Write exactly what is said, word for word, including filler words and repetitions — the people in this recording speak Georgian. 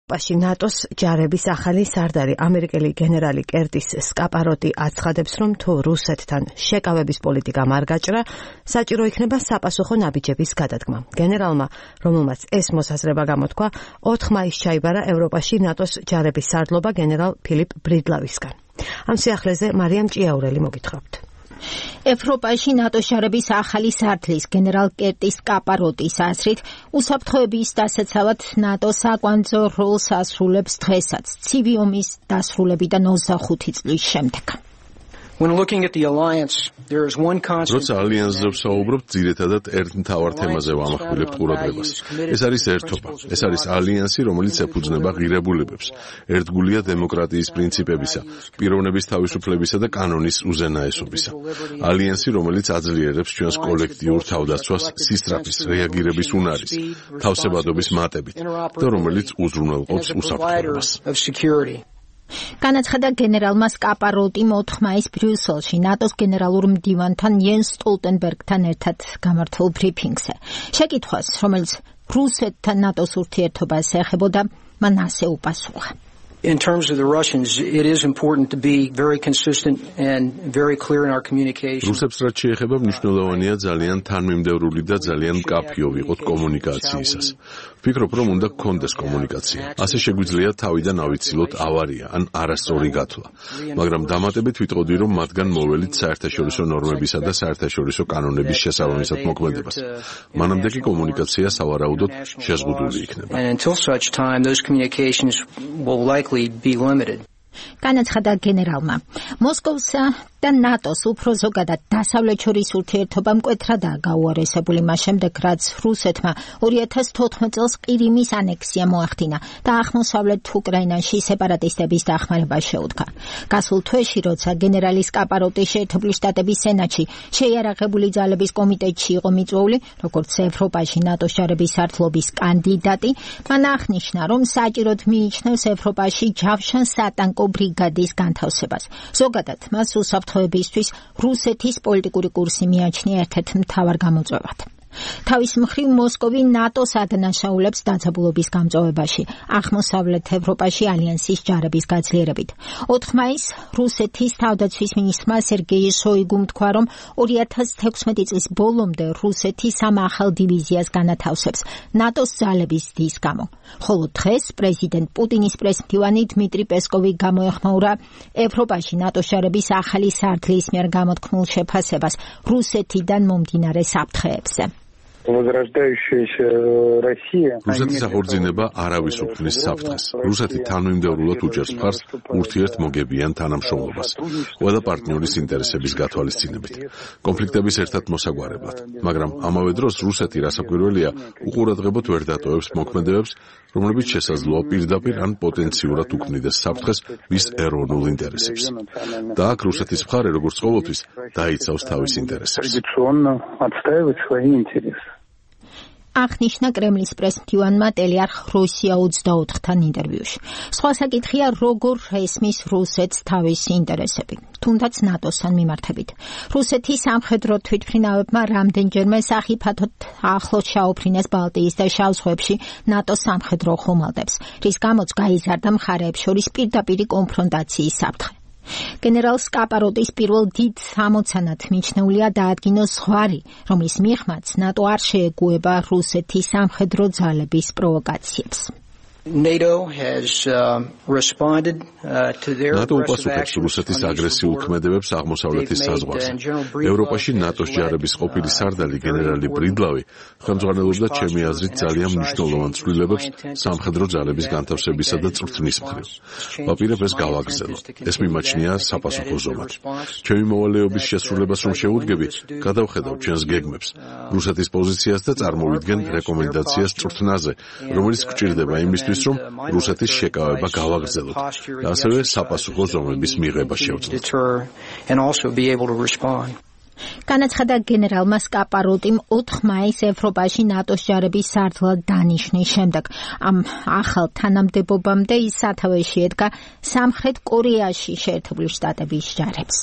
პაში ნატოს ჯარების ახალი სარდარი ამერიკელი გენერალი კერტის სკაპაროტი აცხადებს, რომ თუ რუსეთთან შეკავების პოლიტიკა არ გაჭრა, საჭირო იქნება საპასუხო ნაბიჯების გადადგმა. გენერალმა, რომელმაც ეს მოსაზრება გამოთქვა, ოთხ მაისს ჩაიბარა ევროპაში ნატოს ჯარების სარდლობა გენერალ ფილიპ ბრიდლავისგან. ამ სიახლეზე მარიამ ჭიაურელი მოგითხრობთ. ევროპაში ნატოს ჯარების ახალი სარდლის გენერალ კერტის სკაპაროტის აზრით, უსაფრთხოების დასაცავად ნატო საკვანძო როლს ასრულებს დღესაც, ცივი ომის დასრულებიდან ოცდახუთი წლის შემდეგ. When looking at the alliance, there is one constant. როცა ალიანსზე ვსაუბრობთ, ძირითადად ერთ მთავარ თემაზე ვამახვილებთ ყურადღებას. ეს არის ერთობა. ეს არის ალიანსი, რომელიც ეფუძნება ღირებულებებს. ერთგულია დემოკრატიის პრინციპებისა, პიროვნების თავისუფლებისა და კანონის უზენაესობისა. ალიანსი, რომელიც აძლიერებს ჩვენს კოლექტიურ თავდაცვას სისწრაფის, რეაგირების უნარის, თავსებადობის მატებით და რომელიც უზრუნველყოფს უსაფრთხოებას. განაცხადა გენერალმა სკაპაროტიმ ოთხ მაისს ბრიუსელში ნატოს გენერალურ მდივანთან იენს სტოლტენბერგთან ერთად გამართულ ბრიფინგზე. შეკითხვას, რომელიც რუსეთთან ნატოს ურთიერთობას ეხებოდა, მან ასე უპასუხა. In terms of the Russians, it is important to be very consistent and very clear in our communication. რუსებს რაც შეეხება, მნიშვნელოვანია ძალიან თანმიმდევრული და ძალიან მკაფიო ვიყოთ კომუნიკაციისას. ვფიქრობ, რომ უნდა გქონდეს კომუნიკაცია. ასე შეგვიძლია თავიდან ავიცილოთ ავარია ან არასწორი გათვლა. მაგრამ დამატებით ვიტყოდი, რომ მათგან მოველით საერთაშორისო ნორმებისა და საერთაშორისო კანონების შესაბამისად მოქმედებას. მანამდე კი კომუნიკაცია სავარაუდოდ შეზღუდული იქნება. And until such time, those communications will likely be limited. განაცხადა გენერალმა. მოსკოვსა და ნატოს უფრო ზოგადად დასავლეთ შორის ურთიერთობა მკვეთრადაა გაუარესებული მას შემდეგ, რაც რუსეთმა ორი ათას თოთხმეტ წელს ყირიმის ანექსია მოახდინა და აღმოსავლეთ უკრაინაში სეპარატისტების დახმარება შეუდგა. გასულ თვეში, როცა გენერალი სკაპაროტი შეერთებული შტატების სენატში შეიარაღებული ძალების კომიტეტში იყო მიწვეული, როგორც ევროპაში ნატოს ჯარების სარდლობის კანდიდატი, მან აღნიშნა, რომ საჭიროდ მიიჩნევს ევროპაში ჯავშან სატანკო ბრიგადის განთავსებას. ზოგადად, მას უსაფრთხოებისთვის რუსეთის პოლიტიკური კურსი მიაჩნია ერთ-ერთ მთავარ გამოწვევად. თავის მხრივ მოსკოვი ნატოს ადანაშაულებს დაძაბულობის გამწვავებაში, აღმოსავლეთ ევროპაში ალიანსის ჯარების გაძლიერებით. ოთხ მაისს რუსეთის თავდაცვის მინისტრმა სერგეი შოიგუმ თქვა, რომ ორი ათას თექვსმეტი წლის ბოლომდე რუსეთი სამ ახალ დივიზიას განათავსებს ნატოს ძალების ზრდის გამო. ხოლო დღეს პრეზიდენტ პუტინის პრესმდივანი დმიტრი პესკოვი გამოეხმაურა ევროპაში ნატოს ჯარების ახალი სარდლის მიერ გამოთქმულ შეფასებას რუსეთიდან მომდინარე საფრთხეებზე. რუსეთის აღორძინება არავის უქმნის საფრთხეს. რუსეთი თანმიმდევრულად უჭერს მხარს ურთიერთმოგებიან თანამშრომლობას, ყველა პარტნიორის ინტერესების გათვალისწინებით, კონფლიქტების ერთად მოსაგვარებლად. მაგრამ ამავე დროს რუსეთი რასაკვირველია უყურადღებოდ ვერ დატოვებს მოქმედებებს, რომლებიც შესაძლოა პირდაპირ ან პოტენციურად უქმნიდეს საფრთხეს მის ეროვნულ ინტერესებს. და აქ რუსეთის მხარე, როგორც ყოველთვის, დაიცავს თავის ინტერესებს. აღნიშნა კრემლის პრესმდივანმა ტელეარხ რუსია ოცდაოთხთან ინტერვიუში. სხვა საკითხია, როგორ ესმის რუსეთს თავისი ინტერესები, თუნდაც ნატოსთან მიმართებით. რუსეთის სამხედრო თვითმფრინავებმა რამდენჯერმე სახიფათოდ ახლოს ჩაუფრინეს ბალტიის და შავ ზღვებში ნატოს სამხედრო ხომალდებს, რის გამოც გაიზარდა მხარეებს შორის პირდაპირი კონფრონტაციის საფრთხე. გენერალ სკაპაროტის პირველ დიდ ამოცანად მიჩნეულია დაადგინოს ზღვარი, რომლის მიღმაც ნატო არ შეეგუება რუსეთის სამხედრო ძალების პროვოკაციებს. NATO has uh, responded uh, to their ნატო უპასუხებს რუსეთის აგრესიულ ქმედებებს აღმოსავლეთის საზღვარზე. ევროპაში ნატოს ჯარების ყოფილი სარდალი გენერალი ბრიდლავი ხელმძღვანელობდა ჩემი აზრით ძალიან მნიშვნელოვან ცვლილებებს სამხედრო ძალების განთავსებისა და წვრთნის მხრივ. ვაპირებ ეს გავაგრძელო. ეს მიმაჩნია საპასუხო ზომად. ჩემი მოვალეობის შესრულებას რომ შევუდგები, გადავხედავ ჩვენს გეგმებს, რუსეთის პოზიციას და წარმოვიდგენ რეკომენდაციას წვრთნაზე, რომელიც გვჭირდება იმისთვის, რომ რუსეთის შეკავება გავაგრძელოთ და ასევე საპასუხო ზომების მიღება შევძლოთ. განაცხადა გენერალმა სკაპაროტიმ ოთხ მაისს ევროპაში ნატოს ჯარების სარდლად დანიშნის შემდეგ. ამ ახალ თანამდებობამდე ის სათავეში ედგა სამხრეთ კორეაში შეერთებული შტატების ჯარებს.